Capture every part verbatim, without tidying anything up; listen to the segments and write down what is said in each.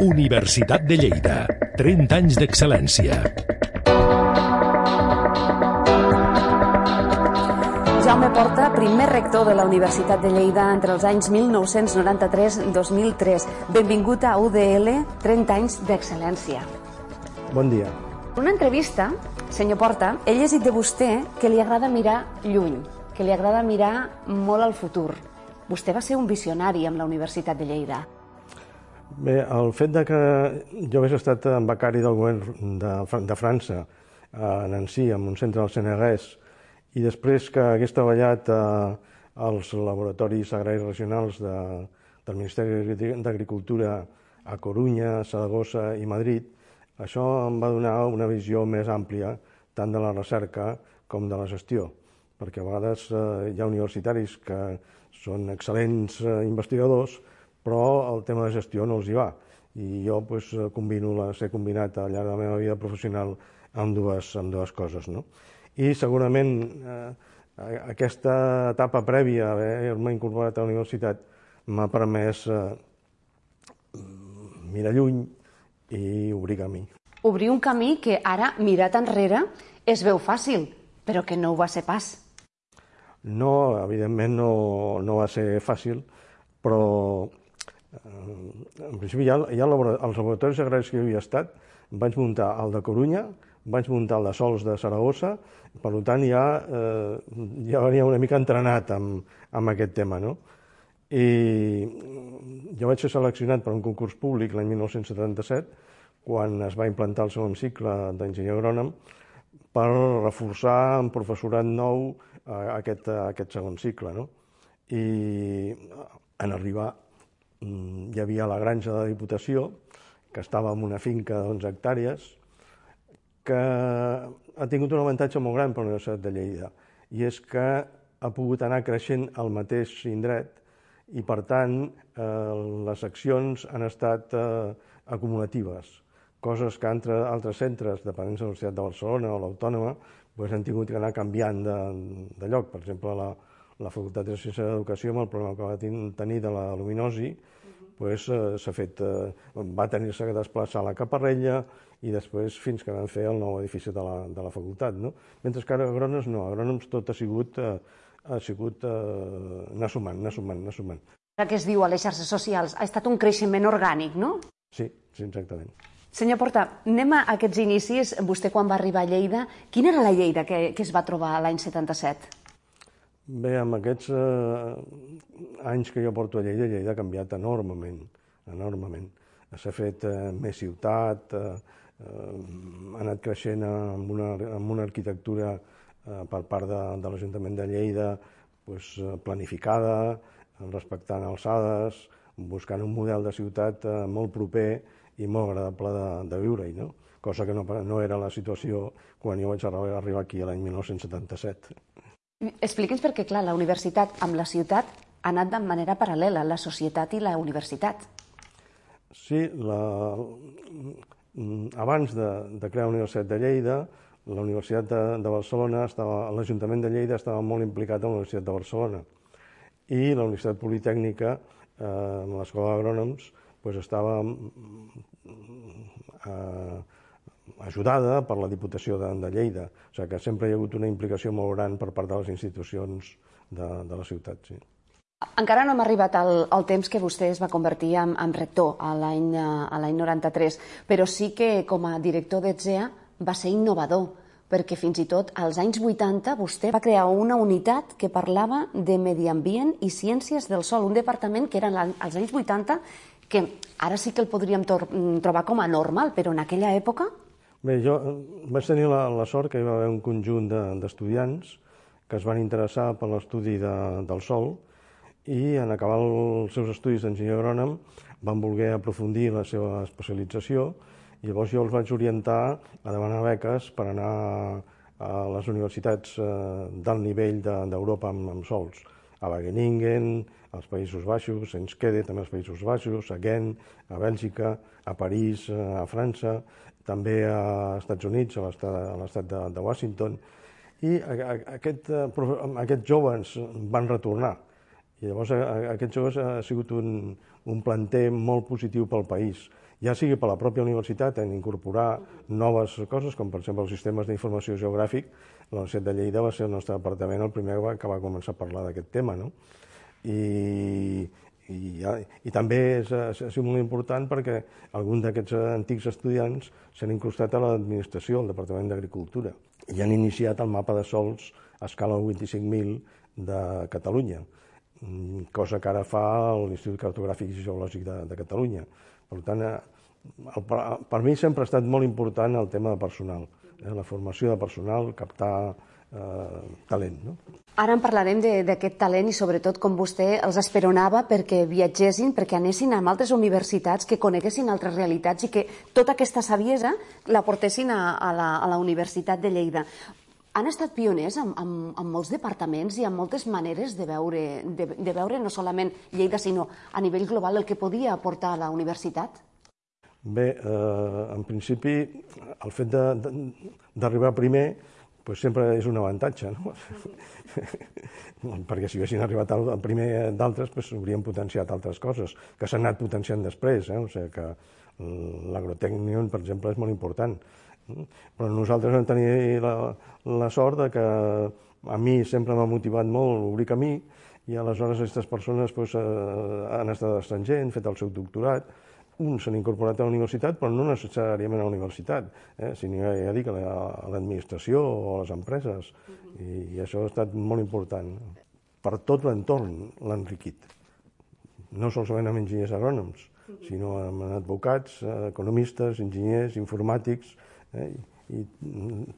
Universitat de Lleida. trenta anys d'excel·lència. Jaume Porta, primer rector de la Universitat de Lleida entre els anys mil nou-cents noranta-tres i dos mil tres. Benvingut a U D L, trenta anys d'excel·lència. Bon dia. En una entrevista, senyor Porta, he llegit de vostè que li agrada mirar lluny, que li agrada mirar molt al futur. Vostè va ser un visionari amb la Universitat de Lleida. Bé, el fet de que jo hagués estat becari del govern de, de França a Nancy, en un centre del Senegalès, i després que hagués treballat als laboratoris agraris regionals de, del Ministeri d'Agricultura a Corunya, Saragossa i Madrid, això em va donar una visió més àmplia tant de la recerca com de la gestió, perquè a vegades hi ha universitaris que són excel·lents investigadors, però el tema de gestió no els hi va. I jo doncs, combino la, ser combinat al llarg de la meva vida professional amb dues, amb dues coses. No? I segurament eh, aquesta etapa prèvia, haver-me incorporat a la universitat, m'ha permès eh, mirar lluny i obrir camí. Obrir un camí que ara, mirat enrere, es veu fàcil, però que no ho va ser pas. No, evidentment no, no va ser fàcil, però en principi ja, ja els laboratoris agraris que jo havia estat, vaig muntar el de Corunya, vaig muntar el de Sols de Saragossa, per tant ja, eh, ja venia una mica entrenat amb, amb aquest tema. No? I jo vaig ser seleccionat per un concurs públic l'any mil nou-cents setanta-set, quan es va implantar el segon cicle d'enginyer agrònom, per reforçar amb professorat nou aquest, aquest segon cicle. No? I en arribar hi havia la granja de la Diputació, que estava en una finca d'onze hectàrees, que ha tingut un avantatge molt gran per la Universitat de Lleida, i és que ha pogut anar creixent al mateix indret i, per tant, les accions han estat acumulatives, coses que entre altres centres, dependents de la Universitat de Barcelona o l'Autònoma, han tingut que anar canviant de lloc. Per exemple, la la Facultat de Ciències d'Educació, amb el problema que va tenir de la luminosi, s'ha fet, va tenir-se que desplaçar a la Caparrella i després fins que van fer el nou edifici de la, de la facultat. No? Mentre que a agrònoms no, a agrònoms tot ha sigut, ha sigut anar sumant, anar sumant, anar sumant. Ara que es diu a les xarxes socials, ha estat un creixement orgànic, no? Sí, sí, exactament. Senyor Porta, anem a aquests inicis. Vostè quan va arribar a Lleida, quina era la Lleida que, que es va trobar l'any setanta-set? Bé, amb aquests eh, anys que jo porto a Lleida, Lleida ha canviat enormement, enormement. S'ha fet eh, més ciutat, eh, eh, ha anat creixent amb una, amb una arquitectura eh, per part de, de l'Ajuntament de Lleida pues, planificada, respectant alçades, buscant un model de ciutat eh, molt proper i molt agradable de, de viure-hi, no? Cosa que no, no era la situació quan jo vaig arribar aquí l'any mil nou-cents setanta-set. Expliqui'ns perquè, clar, la universitat amb la ciutat ha anat de manera paral·lela, la societat i la universitat. Sí, la... abans de, de crear la Universitat de Lleida, la Universitat de, de Barcelona, l'Ajuntament de Lleida estava molt implicat en la Universitat de Barcelona. I la Universitat Politècnica, eh, amb l'Escola d'Agrònoms, pues, estava eh, ajudada per la Diputació de, de Lleida. O sigui que sempre hi ha hagut una implicació molt gran per part de les institucions de, de la ciutat. Sí. Encara no hem arribat al, al temps que vostè es va convertir en, en rector a l'any noranta-tres, però sí que com a director d'E T S E A va ser innovador, perquè fins i tot als anys vuitanta vostè va crear una unitat que parlava de medi ambient i ciències del sòl, un departament que era als anys vuitanta, que ara sí que el podríem trobar com a normal, però en aquella època... Bé, jo vaig tenir la, la sort que hi va haver un conjunt d'estudiants que es van interessar per l'estudi de, del sòl i en acabar els seus estudis d'enginyer agrònom van voler aprofundir la seva especialització i llavors jo els vaig orientar a demanar beques per anar a les universitats d'alt nivell d'Europa amb, amb sòls. A Wageningen, als Països Baixos, a Enschede, també als Països Baixos, a Ghent, a Bèlgica, a París, a França, també als Estats Units, a l'estat de, de Washington. I aquest, aquests joves van retornar I llavors aquests joves ha sigut un, un planter molt positiu pel país, ja sigui per la pròpia universitat en incorporar noves coses, com per exemple els sistemes d'informació geogràfic. La Universitat de Lleida va ser el nostre departament el primer que va començar a parlar d'aquest tema, no? I, i, i també és, ha sigut molt important perquè alguns d'aquests antics estudiants s'han incrustat a l'administració, al Departament d'Agricultura, i han iniciat el mapa de sòls a escala vint-i-cinc mil de Catalunya, cosa que ara fa l'Institut Cartogràfic i Geològic de, de Catalunya. Per tant, el, per mi sempre ha estat molt important el tema de personal, eh, la formació de personal, captar eh, talent. No? Ara en parlarem d'aquest talent i sobretot com vostè els esperonava perquè viatgessin, perquè anessin a altres universitats, que coneguessin altres realitats i que tota aquesta saviesa la portessin a, a, la, a la Universitat de Lleida. Han estat pioners en, en, en molts departaments i en moltes maneres de veure, de, de veure no solament Lleida, sinó a nivell global el que podia aportar a la universitat? Bé, eh, en principi, el fet d'arribar primer pues sempre és un avantatge, no? Perquè si haguessin arribat al primer d'altres, pues, haurien potenciat altres coses, que s'han anat potenciant després. Eh? O sigui que l'agrotècnion, per exemple, és molt important. Però nosaltres vam tenir la, la sort de que a mi sempre m'ha motivat molt obrir camí i aleshores aquestes persones pues, han estat a l'estranger, han fet el seu doctorat, uns s'han incorporat a la universitat, però no necessàriament a la universitat, eh? sinó ja dic, a l'administració o a les empreses, i, i això ha estat molt important. Per tot l'entorn l'ha enriquit, no solament amb enginyers agrònoms, sinó amb advocats, economistes, enginyers, informàtics, eh? i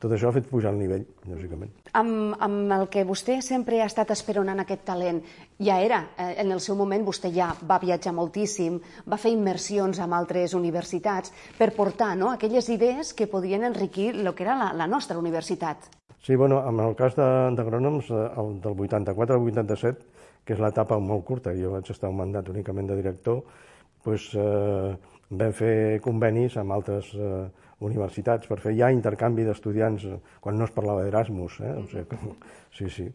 tot això ha fet pujar el nivell, lògicament. Amb, amb el que vostè sempre ha estat esperonant aquest talent, ja era, eh, en el seu moment vostè ja va viatjar moltíssim, va fer immersions amb altres universitats per portar no, aquelles idees que podien enriquir el que era la, la nostra universitat. Sí, bueno, en el cas d'agrònoms, el del vuitanta-quatre al vuitanta-set, que és l'etapa molt curta, jo vaig estar un mandat únicament de director, doncs, eh, vam fer convenis amb altres eh, universitats per fer ja intercanvi d'estudiants quan no es parlava d'Erasmus. Eh? O sigui, sí, sí.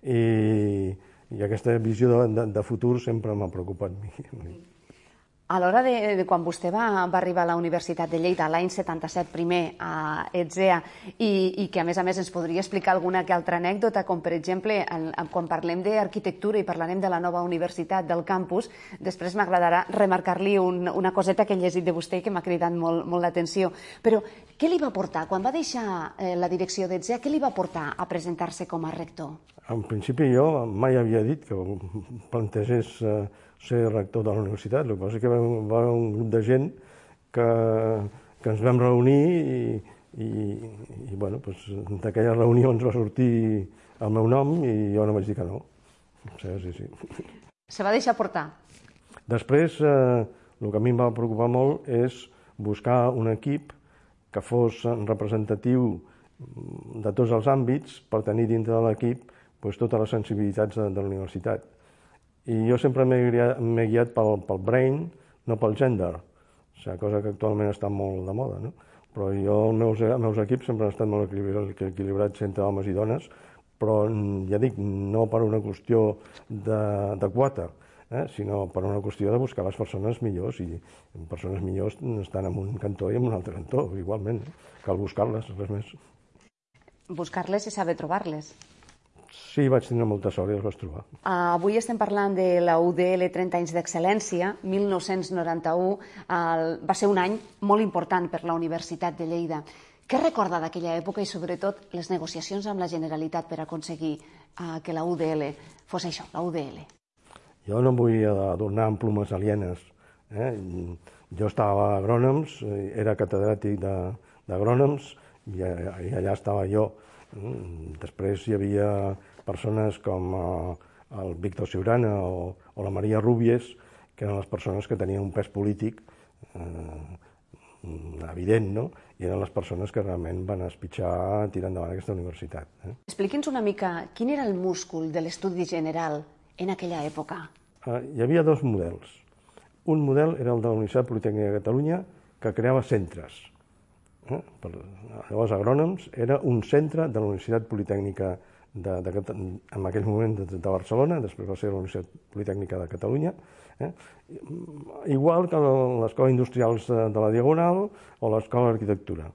I, i aquesta visió de, de, de futur sempre m'ha preocupat. A l'hora de, de quan vostè va, va arribar a la Universitat de Lleida l'any setanta-set primer a ETSEA i, i que a més a més ens podria explicar alguna que altra anècdota, com per exemple en, en, quan parlem d'arquitectura i parlarem de la nova universitat del campus, després m'agradarà remarcar-li un, una coseta que he llegit de vostè que m'ha cridat molt, molt l'atenció. Però què li va portar, quan va deixar eh, la direcció d'ETSEA, què li va portar a presentar-se com a rector? En principi jo mai havia dit que plantegés eh, ser rector de la universitat. El que passa és que va haver un grup de gent que, que ens vam reunir i, i, i bueno, doncs, d'aquella reunió ens va sortir el meu nom i jo no vaig dir que no. Sí, sí, sí. Se va deixar portar? Després, eh, el que a mi em va preocupar molt és buscar un equip que fos representatiu de tots els àmbits per tenir dintre de l'equip doncs, totes les sensibilitats de, de la universitat. I jo sempre m'he guiat pel, pel brain, no pel gender, o sigui, cosa que actualment està molt de moda, no? Però jo, els meus, els meus equips sempre han estat molt equilibrats, equilibrats entre homes i dones, però ja dic, no per una qüestió de, de quota, eh? sinó per una qüestió de buscar les persones millors, i persones millors estan en un cantó i en un altre cantó, igualment, eh? Cal buscar-les, res més. Buscar-les i saber trobar-les. Sí, vaig tenir molta sort i els vaig trobar. Uh, avui estem parlant de la U D L trenta anys d'excel·lència, mil nou-cents noranta-u. Uh, va ser un any molt important per la Universitat de Lleida. Què recorda d'aquella època i, sobretot, les negociacions amb la Generalitat per aconseguir uh, que la U D L fos això, la U D L? Jo no em vull adornar amb plomes alienes. Eh? Jo estava a agrònoms, era catedràtic d'agrònoms i, i allà estava jo. Després hi havia persones com el Víctor Siurana o, o la Maria Rubies, que eren les persones que tenien un pes polític eh, evident, no? I eren les persones que realment van espitxar tirar endavant aquesta universitat. Eh? Expliqui'ns una mica quin era el múscul de l'estudi general en aquella època. Eh, hi havia dos models. Un model era el de la Universitat Politècnica de Catalunya, que creava centres. Eh? Per, llavors, Agrònoms era un centre de la Universitat Politècnica de, de, en aquell moment de, de Barcelona, després va ser la Universitat Politècnica de Catalunya, eh? igual que l'Escola Industrials de, de la Diagonal o l'Escola d'Arquitectura.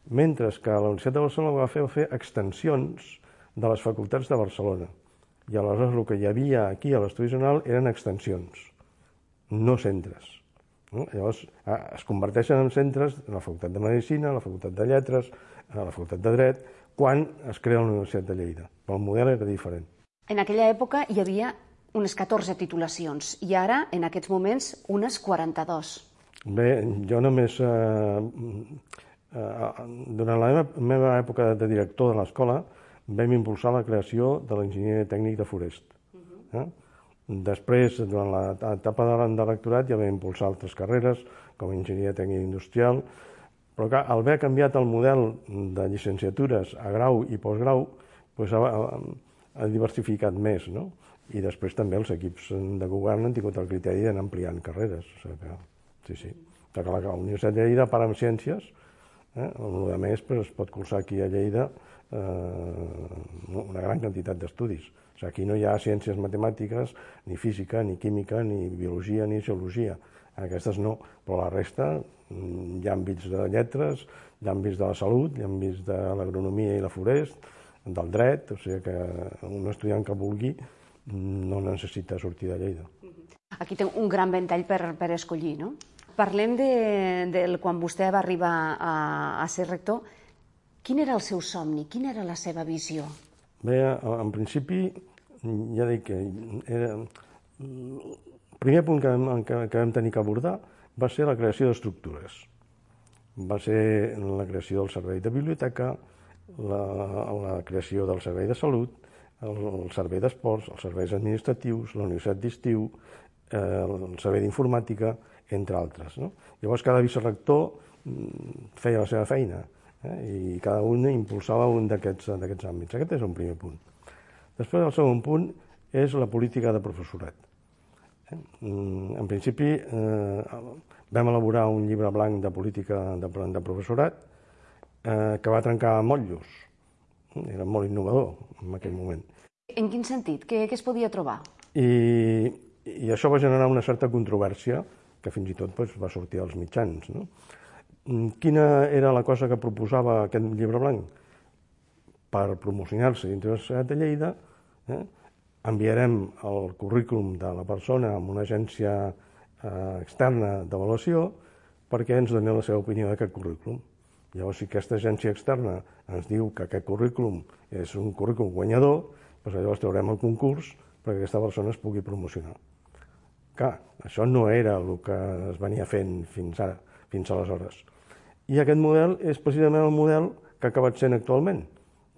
Mentre que la Universitat de Barcelona va fer, va fer extensions de les facultats de Barcelona. I aleshores el que hi havia aquí a l'Estudi General eren extensions, no centres. No? Llavors es converteixen en centres la Facultat de Medicina, la Facultat de Lletres, la Facultat de Dret, quan es crea la Universitat de Lleida. Però el model era diferent. En aquella època hi havia unes catorze titulacions i ara, en aquests moments, unes quaranta-dues. Bé, jo només... Eh, eh, durant la meva, meva època de director de l'escola vam impulsar la creació de l'enginyer tècnic de Forest. Uh-huh. eh? Després, durant l'etapa de lectorat, ja vam impulsar altres carreres, com a enginyeria tècnica industrial, però clar, al haver canviat el model de llicenciatures a grau i postgrau, doncs ha, ha diversificat més, no? I després també els equips de govern han tingut el criteri d'anar ampliant carreres. O sigui que, sí, sí. Que la, la Universitat de Lleida, a part amb ciències, eh, el que més pues, es pot cursar aquí a Lleida eh, una gran quantitat d'estudis. O sigui, aquí no hi ha ciències matemàtiques, ni física, ni química, ni biologia, ni geologia. Aquestes no, però la resta hi ha àmbits de lletres, hi ha àmbits de la salut, hi ha àmbits de l'agronomia i la forest, del dret, o sigui que un estudiant que vulgui no necessita sortir de Lleida. Aquí té un gran ventall per, per escollir, no? Parlem de, de quan vostè va arribar a, a ser rector. Quin era el seu somni? Quina era la seva visió? Bé, en principi, ja dic que era... el primer punt que, que, que vam tenir que abordar va ser la creació d'estructures. Va ser la creació del servei de biblioteca, la, la creació del servei de salut, el, el servei d'esports, els serveis administratius, la universitat d'estiu, eh, el servei d'informàtica, entre altres. No? Llavors, cada vicerector feia la seva feina, eh, i cada un impulsava un d'aquests àmbits. Aquest és un primer punt. Després, el segon punt és la política de professorat. Eh? En principi, eh, vam elaborar un llibre blanc de política de, de professorat eh, que va trencar motllos. Era molt innovador en aquell moment. En quin sentit? Què, què es podia trobar? I, I això va generar una certa controvèrsia que fins i tot doncs, va sortir als mitjans. No? Quina era la cosa que proposava aquest llibre blanc? Per promocionar-se dintre de la Universitat de Lleida, eh, enviarem el currículum de la persona a una agència eh, externa d'avaluació perquè ens doni la seva opinió d'aquest currículum. Llavors, si aquesta agència externa ens diu que aquest currículum és un currículum guanyador, doncs llavors traurem el concurs perquè aquesta persona es pugui promocionar. Clar, això no era el que es venia fent fins ara, fins aleshores. I aquest model és precisament el model que ha acabat sent actualment,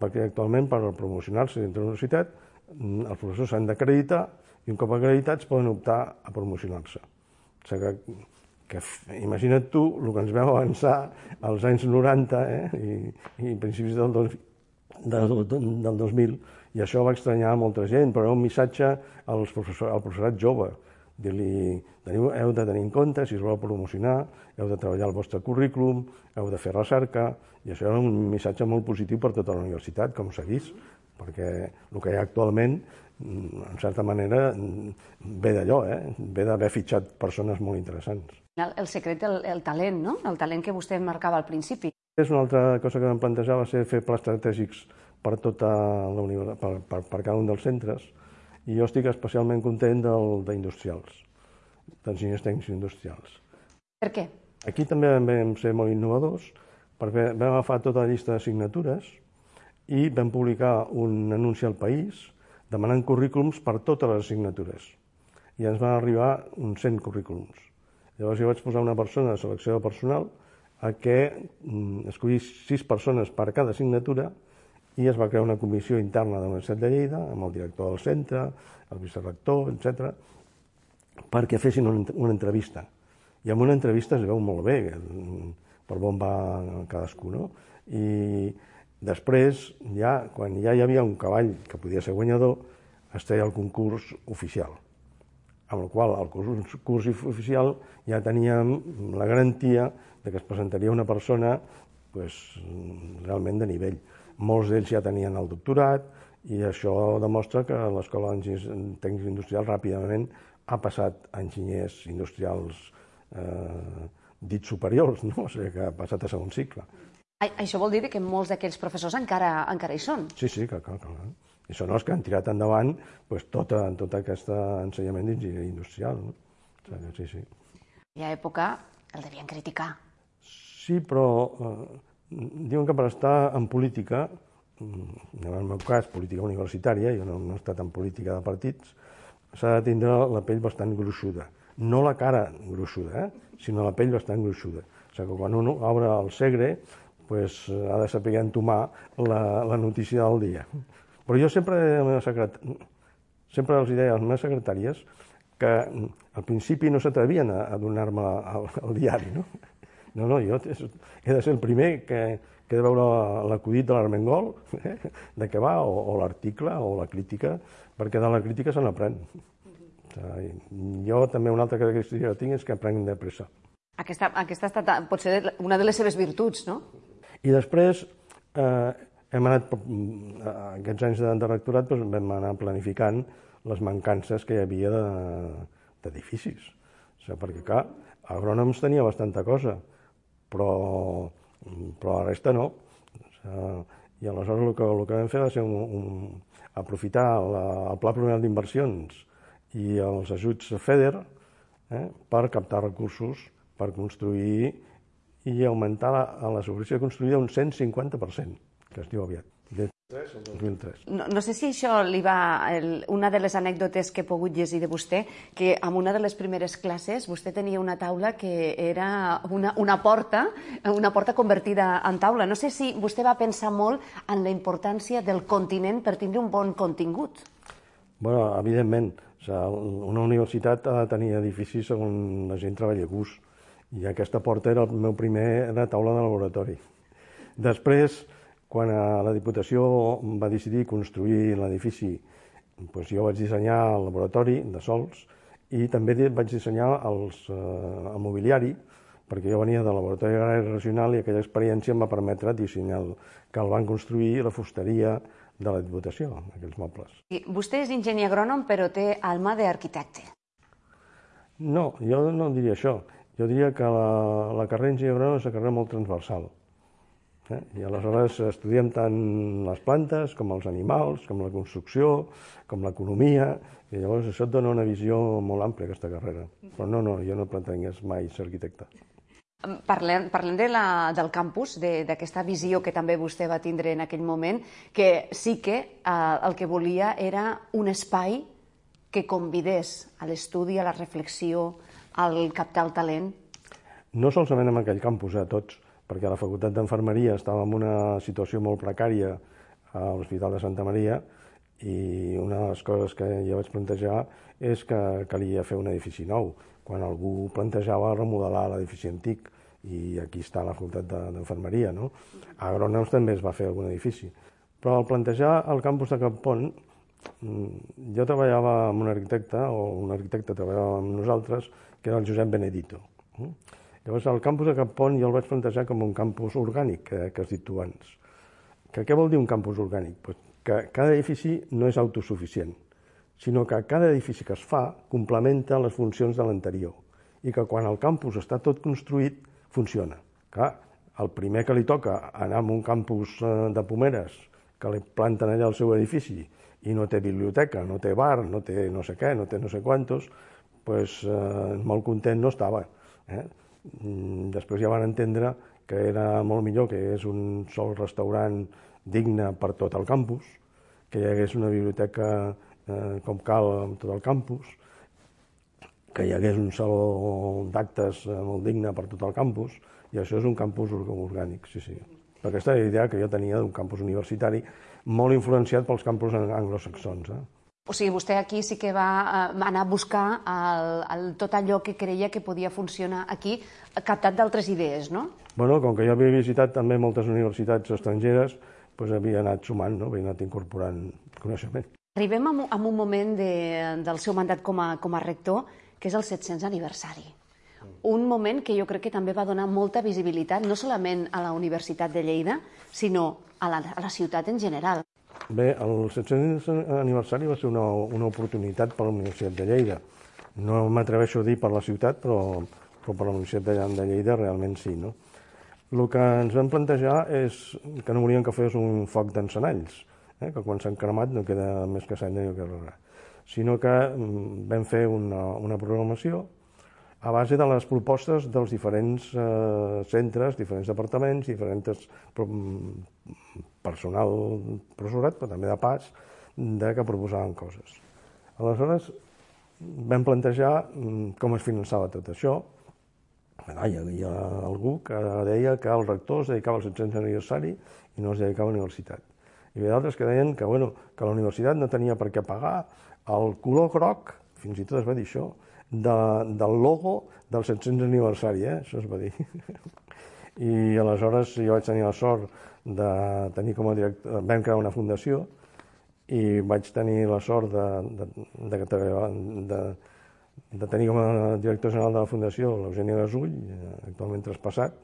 perquè actualment per promocionar-se dintre de la universitat els professors s'han d'acreditar i un cop acreditats poden optar a promocionar-se. O sigui que, que imagina't tu el que ens veu avançar als anys noranta eh, i, i principis del, dos, del, del dos mil, i això va estranyar molta gent, però era un missatge als professor, al professorat jove. Dir-li, heu de tenir en compte, si us voleu promocionar, heu de treballar el vostre currículum, heu de fer recerca, i això era un missatge molt positiu per tota la universitat, com s'ha vist, perquè el que hi ha actualment, en certa manera, ve d'allò, eh? Ve d'haver fitxat persones molt interessants. El, el secret, el, el talent, no? El talent que vostè marcava al principi. És una altra cosa que vam plantejar, va ser fer plans estratègics per tota la universitat, per, per, per cada un dels centres, i jo estic especialment content del d'industrials, d'enginyers tècnics industrials. Per què? Aquí també vam ser molt innovadors, perquè vam agafar tota la llista d'assignatures i vam publicar un anunci al País demanant currículums per totes les assignatures. I ens van arribar uns cent currículums. Llavors jo vaig posar una persona de selecció de personal a que escollís sis persones per cada assignatura i es va crear una comissió interna de la Universitat de Lleida, amb el director del centre, el vicerector, etcètera, perquè fessin una entrevista. I en una entrevista es veu molt bé per on va cadascú, no? I després, ja, quan ja hi havia un cavall que podia ser guanyador, es treia el concurs oficial, amb el qual el concurs oficial ja teníem la garantia de que es presentaria una persona pues, realment de nivell. Molts d'ells ja tenien el doctorat I això demostra que l'Escola d'Enginyers Tècnics Industrials ràpidament ha passat a enginyers industrials eh, dits superiors, no? O sigui que ha passat a segon cicle. Això vol dir que molts d'aquells professors encara, encara hi són? Sí, sí, clar, clar, clar. I són els que han tirat endavant pues, tot, tot aquest ensenyament d'enginyeria industrial. No? O sigui, sí, sí. I a època el devien criticar. Sí, però eh, diuen que per estar en política, en el meu cas, política universitària, jo no, no he estat en política de partits, s'ha de tindre la pell bastant gruixuda. No la cara gruixuda, eh? Sinó la pell bastant gruixuda. O sigui que quan un obre el Segre, pues, ha de saber entomar la, la notícia del dia. Però jo sempre, secret... sempre els deia a les meves secretàries que al principi no s'atrevien a, a donar-me al, al diari, no? No, no, jo he de ser el primer que, que he de veure l'acudit de l'Armengol, eh, de què va, o, o l'article, o la crítica, perquè de la crítica se n'aprèn. O sigui, jo també una altra característica que tinc és que aprenc de pressa. Aquesta, aquesta ha estat potser una de les seves virtuts, no? I després, eh, hem anat, aquests anys de, de rectorat, doncs vam anar planificant les mancances que hi havia d'edificis. O sigui, perquè, clar, agrònoms tenia bastanta cosa, però, però la resta no. O sigui, i aleshores el que, el que vam fer va ser un, un, aprofitar la, el Pla Plurianual d'Inversions i els ajuts FEDER eh, per captar recursos per construir i augmentar la, la superfície construïda un cent cinquanta per cent, que es diu aviat, de dos mil tres. No, no sé si això li va... El, una de les anècdotes que he pogut llegir de vostè, que en una de les primeres classes vostè tenia una taula que era una, una porta, una porta convertida en taula. No sé si vostè va pensar molt en la importància del continent per tindre un bon contingut. Bueno, evidentment. O sigui, una universitat ha de tenir edificis on la gent treballa a gust. I aquesta porta era el meu primer era taula de laboratori. Després, quan la Diputació va decidir construir l'edifici, doncs jo vaig dissenyar el laboratori de sols i també vaig dissenyar els, eh, el mobiliari, perquè jo venia del laboratori agrari regional i aquella experiència em va permetre dissenyar el, que el van construir la fusteria de la Diputació, aquells mobles. I vostè és enginyer agrònom, però té alma d'arquitecte. No, jo no diria això. Jo diria que la, la carrera d'enginyer agrònom és una carrera molt transversal. Eh? I aleshores estudiem tant les plantes com els animals, com la construcció, com l'economia, i llavors això et dona una visió molt àmplia, aquesta carrera. Però no, no, jo no pretengués mai ser arquitecte. Parlem, parlem de la, del campus, d'aquesta visió que també vostè va tindre en aquell moment, que sí que eh, el que volia era un espai que convidés a l'estudi, a la reflexió, al captar el talent? No solament en aquell campus, a tots, perquè la Facultat d'Enfermeria estava en una situació molt precària a l'Hospital de Santa Maria i una de les coses que jo vaig plantejar és que calia fer un edifici nou, quan algú plantejava remodelar l'edifici antic, i aquí està la Facultat d'Enfermeria, no? A Agrònoms també es va fer algun edifici. Però al plantejar el campus de Campont, jo treballava amb un arquitecte, o un arquitecte treballava amb nosaltres, que era el Josep Benedito. Llavors, el campus de Campont jo el vaig plantejar com un campus orgànic, que, que has dit tu abans. Que, què vol dir un campus orgànic? Pues que cada edifici no és autosuficient, sinó que cada edifici que es fa complementa les funcions de l'anterior i que quan el campus està tot construït, funciona. Clar, el primer que li toca anar a un campus de Pomeres, que li planten allà el seu edifici, i no té biblioteca, no té bar, no té no sé què, no té no sé quantos, doncs eh, molt content no estava. Eh? Després ja van entendre que era molt millor que hi hagués un sol restaurant digne per tot el campus, que hi hagués una biblioteca eh, com cal en tot el campus, que hi hagués un saló d'actes eh, molt digne per tot el campus, i això és un campus orgànic, sí, sí. Però aquesta era la idea que jo tenia d'un campus universitari molt influenciat pels campus anglosaxons. Eh? O sigui, vostè aquí sí que va anar a buscar el, el, tot allò que creia que podia funcionar aquí, captat d'altres idees, no? Bueno, com que jo havia visitat també moltes universitats estrangeres, doncs havia anat sumant, no? Havia anat incorporant coneixement. Arribem a un, a un moment de, del seu mandat com a, com a rector, que és el set-cents aniversari. Un moment que jo crec que també va donar molta visibilitat, no solament a la Universitat de Lleida, sinó a la, a la ciutat en general. Bé, el set-cents aniversari va ser una, una oportunitat per a la Universitat de Lleida. No m'atreveixo a dir per la ciutat, però, però per la Universitat de, de Lleida realment sí, no? El que ens vam plantejar és que no volíem que fos un foc d'encenalls, eh? que quan s'han cremat no queda més que cendra i no queda res, sinó que vam fer una, una programació a base de les propostes dels diferents eh, centres, diferents departaments, diferents personal professorat, però també de pas, de que proposaven coses. Aleshores, vam plantejar com es finançava tot això. Hi havia algú que deia que el rector es dedicava al set-cents aniversari i no es dedicava a la universitat. Hi havia d'altres que deien que, bueno, que la universitat no tenia per què pagar el color groc, fins i tot es va dir això, de, del logo del set-cents aniversari, eh? Això es va dir. I aleshores jo vaig tenir la sort de tenir com a director, vam crear una fundació i vaig tenir la sort de, de, de, de, de, de tenir com a director general de la fundació l'Eugeni Gasull, actualment traspassat,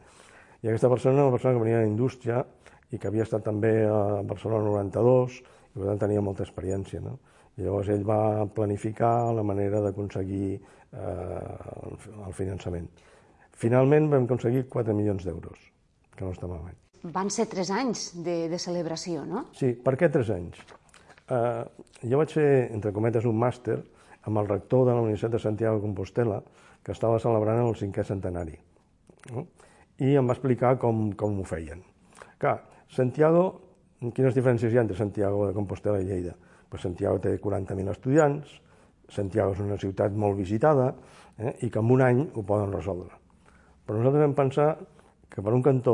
i aquesta persona era una persona que venia de la indústria i que havia estat també a Barcelona noranta-dos i per tant tenia molta experiència, no? I llavors ell va planificar la manera d'aconseguir eh, el finançament. Finalment vam aconseguir quatre milions d'euros, que no està malament. Van ser tres anys de, de celebració, no? Sí, per què tres anys? Eh, jo vaig fer, entre cometes, un màster amb el rector de la Universitat de Santiago de Compostela, que estava celebrant el cinquè centenari. No? I em va explicar com, com ho feien. Clar, Santiago, quines diferències hi ha entre Santiago de Compostela i Lleida? Pues Santiago té quaranta mil estudiants, Santiago és una ciutat molt visitada, eh, i que en un any ho poden resoldre. Però nosaltres vam pensar que per un cantó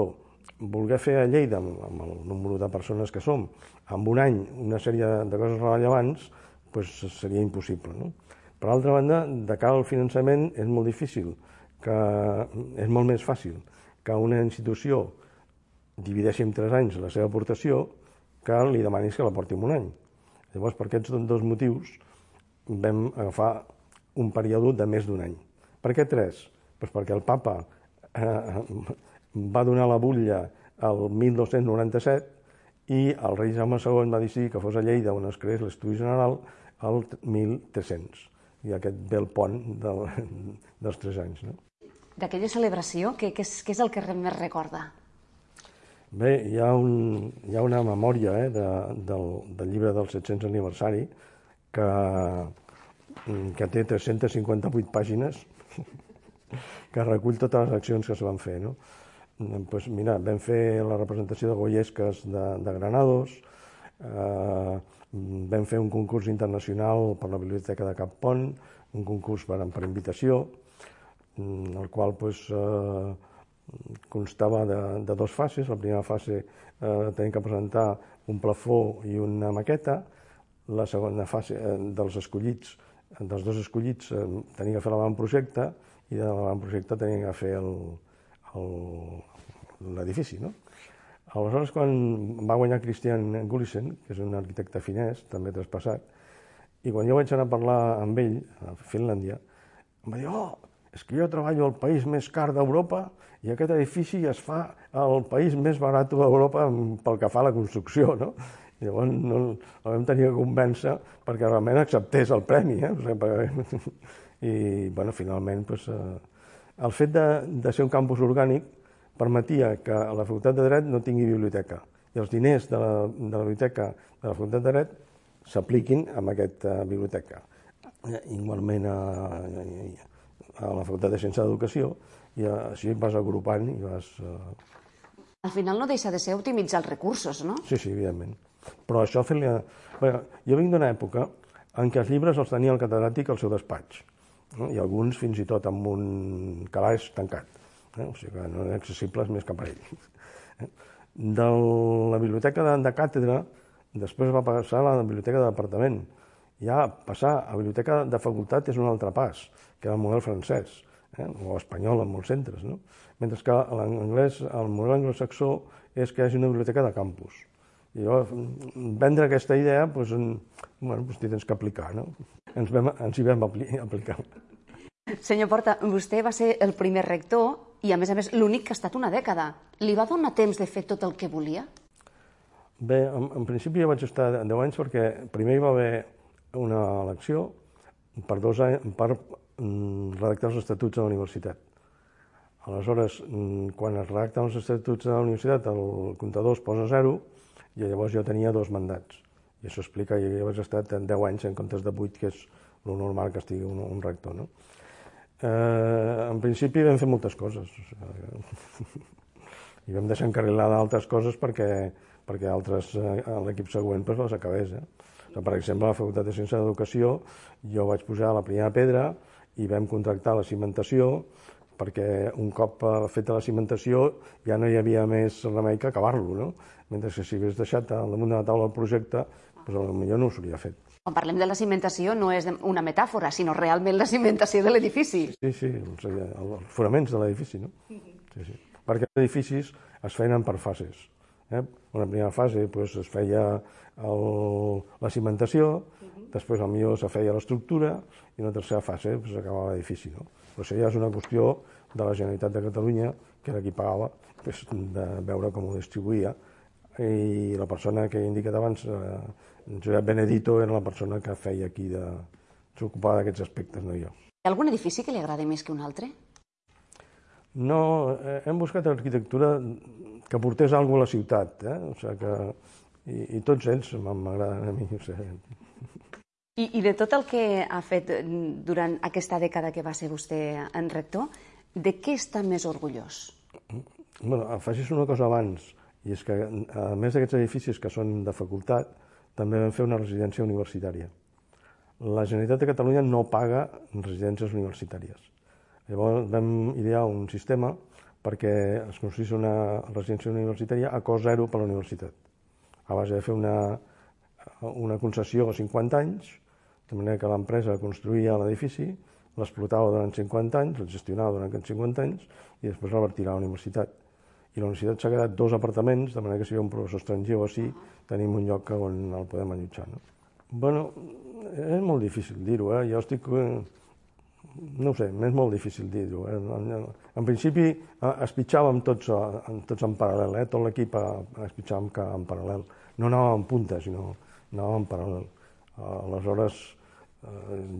voler fer a Lleida, amb el número de persones que som, en un any una sèrie de coses rellevants, pues seria impossible, no? Per altra banda, de cara al finançament és molt difícil, que és molt més fàcil que una institució divideixi en tres anys la seva aportació que li demanis que la porti en un any. Llavors, per aquests dos motius, vam agafar un període de més d'un any. Per què tres? Pues perquè el papa eh, va donar la butlla el mil dos-cents noranta-set i el rei Jaume segon va decidir que fos a Lleida on es creés l'Estudi General el mil tres-cents. I aquest ve el pont del, dels tres anys. No? D'aquella celebració, què, què, és, què és el que més recorda? Bé, hi ha, un, hi ha una memòria eh, de, del, del llibre del set-cents aniversari que, que té tres-centes cinquanta-vuit pàgines que recull totes les accions que es van fer. No? Pues mira, vam fer la representació de Goyesques de, de Granados, eh, vam fer un concurs internacional per la Biblioteca de Cap Pont, un concurs per, per invitació, el qual pues, eh, constava de, de dues fases. La primera fase eh, tenim que presentar un plafó i una maqueta. La segona fase eh, dels escollits, dels dos escollits, eh, tenim que fer l'avantprojecte i de l'avantprojecte tenim que fer l'edifici. No? Aleshores, quan va guanyar Christian Gullisen, que és un arquitecte finès, també traspassat, i quan jo vaig anar a parlar amb ell, a Finlàndia, em va dir, oh, és que jo treballo al país més car d'Europa i aquest edifici es fa al país més barat d'Europa pel que fa a la construcció, no? I llavors no, el vam tenir que convèncer perquè realment acceptés el premi, eh? O sigui, i, bueno, finalment, pues, eh, el fet de, de ser un campus orgànic permetia que la Facultat de Dret no tingui biblioteca i els diners de la, de la biblioteca de la Facultat de Dret s'apliquin a aquesta biblioteca. Igualment a, a, a la Facultat de Ciència d'Educació, i així vas agrupant i vas... Uh... Al final no deixa de ser optimitzar els recursos, no? Sí, sí, evidentment. Però això fer-li... Bueno, jo vinc d'una època en què els llibres els tenia el catedràtic al seu despatx, no? I alguns fins i tot amb un calaix tancat, eh? O sigui que no eren accessibles més que per ell. De la biblioteca de, de càtedra, després va passar a la biblioteca de departament. Ja passar a biblioteca de facultat és un altre pas, que era el model francès, eh? O espanyol en molts centres, no? Mentre que l'anglès, el model anglosaxó és que hi hagi una biblioteca de campus. I llavors, vendre aquesta idea, doncs, bueno, doncs t'hi tens que aplicar, no? Ens, vam, ens hi vam aplicar. Senyor Porta, vostè va ser el primer rector i, a més a més, l'únic que ha estat una dècada. Li va donar temps de fer tot el que volia? Bé, en, en principi jo vaig estar deu anys perquè primer hi va haver una elecció per, dos anys, per mm, redactar els estatuts de la universitat. Aleshores, mm, quan es redacten els estatuts de la universitat, el comptador es posa a zero i llavors jo tenia dos mandats. I això explica que jo vaig estar deu anys en comptes de vuit, que és el normal que estigui un, un rector. No? Eh, en principi vam fer moltes coses. I vam deixar encarrilar d'altres coses perquè, perquè altres, eh, l'equip següent pues, les acabés. Eh? O sigui, per exemple, a la Facultat de Ciències d'Educació jo vaig posar la primera pedra i vam contractar la cimentació perquè un cop feta la cimentació ja no hi havia més remei que acabar-lo, no? Mentre que si hagués deixat al damunt de la taula el projecte, doncs potser no ho s'hauria fet. Quan parlem de la cimentació no és una metàfora, sinó realment la cimentació de l'edifici. Sí, sí, els, els fonaments de l'edifici, no? Sí, sí. Perquè els edificis es feien per fases. Eh? Una primera fase doncs, es feia el, la cimentació, després potser se feia l'estructura i una tercera fase doncs, acabava l'edifici. No? Però això ja és una qüestió de la Generalitat de Catalunya, que era qui pagava, doncs, de veure com ho distribuïa. I la persona que he indicat abans, eh, Josep Benedito, era la persona que feia aquí, de, s'ocupava d'aquests aspectes, no jo. Hi ha algun edifici que li agradi més que un altre? No, eh, hem buscat arquitectura que portés alguna cosa a la ciutat, eh? O sigui que, i, i tots ells m'agraden a mi. O sigui. I, I de tot el que ha fet durant aquesta dècada que va ser vostè en rector, de què està més orgullós? Bueno, afegís una cosa abans, i és que a més d'aquests edificis que són de facultat, també vam fer una residència universitària. La Generalitat de Catalunya no paga residències universitàries. Llavors vam idear un sistema perquè es construís una residència universitària a cost zero per a la universitat. A base de fer una, una concessió a cinquanta anys, de manera que l'empresa construïa l'edifici, l'explotava durant cinquanta anys, el gestionava durant cinquanta anys i després el retirava a la universitat. I la universitat s'ha quedat dos apartaments, de manera que si hi ha un professor estranger o així, tenim un lloc on el podem allotjar. No? Bueno, és molt difícil dir-ho, eh? Jo estic... No ho sé, és molt difícil dir-ho. Eh? En principi es pitjàvem tots, tots en paral·lel, eh? Tot l'equip es pitjàvem en paral·lel. No anàvem en punta, sinó anàvem en paral·lel. Aleshores,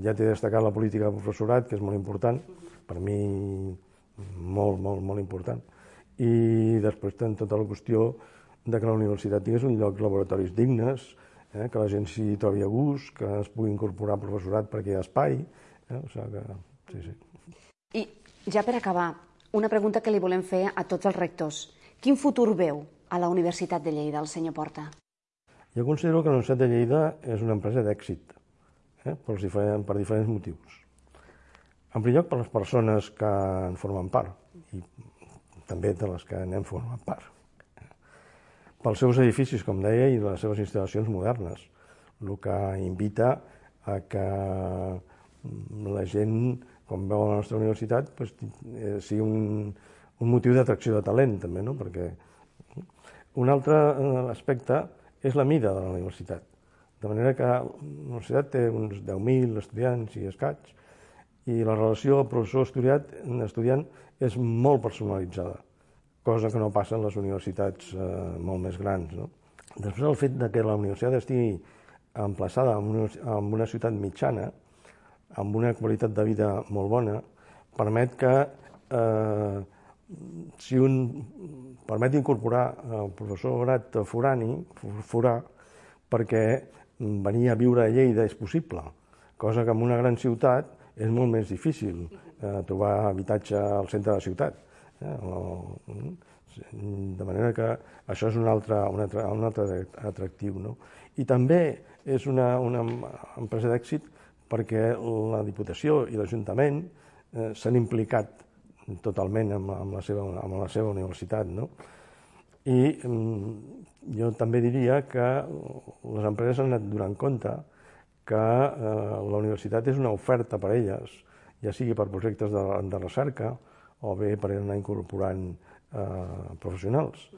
ja t'he destacat la política de professorat, que és molt important, per mi molt, molt, molt important. I després ten tota la qüestió de que la universitat tingués un lloc, laboratoris dignes, eh, que la gent s'hi trobi a gust, que es pugui incorporar professorat perquè hi ha espai. Eh, o sigui que, sí, sí. I ja per acabar, una pregunta que li volem fer a tots els rectors. Quin futur veu a la Universitat de Lleida, el senyor Porta? Jo considero que la Universitat de Lleida és una empresa d'èxit, eh, per, diferents, per diferents motius. En primer lloc, per les persones que en formen part, i també de les que n'hem format part. Pels seus edificis, com deia, i les seves instal·lacions modernes, el que invita a que la gent, quan veu la nostra universitat, pues, sigui un, un motiu d'atracció de talent, també, no? Perquè un altre aspecte és la mida de la universitat. De manera que la universitat té uns deu mil estudiants i escaig, i la relació professor-estudiant és molt personalitzada, cosa que no passa en les universitats eh, molt més grans. No? Després el fet de que la universitat estigui emplaçada en una, en una ciutat mitjana, amb una qualitat de vida molt bona, permet que eh, si un permet incorporar el professorat forani, forà, perquè venir a viure a Lleida és possible, cosa que en una gran ciutat és molt més difícil eh, trobar habitatge al centre de la ciutat. Eh? O, de manera que això és un altre, un altre, un altre atractiu. No? I també és una, una empresa d'èxit perquè la Diputació i l'Ajuntament eh, s'han implicat totalment amb, amb, la seva, amb la seva universitat. No? I mm, jo també diria que les empreses han anat donant compte que eh, la universitat és una oferta per a elles, ja sigui per projectes de, de recerca o bé per anar incorporant eh, professionals.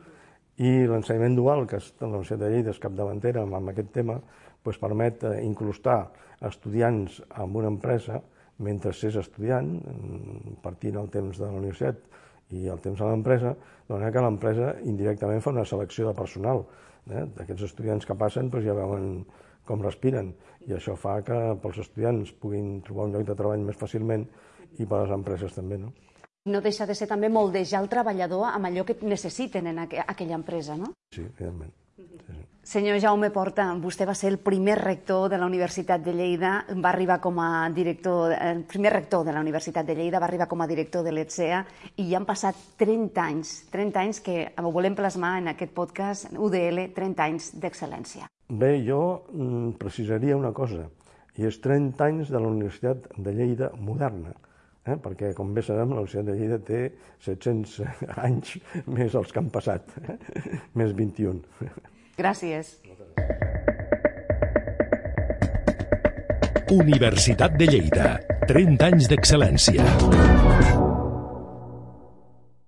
I l'ensenyament dual, que la Universitat de Lleida és capdavantera amb, amb aquest tema, doncs permet eh, incrustar estudiants en una empresa mentre s'és estudiant, partint el temps de la universitat i el temps a l'empresa, de manera que l'empresa indirectament fa una selecció de personal. Eh? D'aquests estudiants que passen doncs ja veuen com respiren, i això fa que pels estudiants puguin trobar un lloc de treball més fàcilment i per les empreses també, no? No deixa de ser també moldejar el treballador amb allò que necessiten en aqu aquella empresa, no? Sí, evidentment. Sí, sí. Senyor Jaume Porta, vostè va ser el primer rector de la Universitat de Lleida, va arribar com a director, el primer rector de la Universitat de Lleida, va arribar com a director de l'E T S E A i ja han passat trenta anys, trenta anys que ho volem plasmar en aquest podcast U D L, trenta anys d'excel·lència. Bé, jo mm, precisaria una cosa, i és trenta anys de la Universitat de Lleida moderna, eh? Perquè, com bé sabem, la Universitat de Lleida té set-cents anys més els que han passat, eh? Més vint-i-un. Gràcies. Universitat de Lleida, trenta anys d'excel·lència.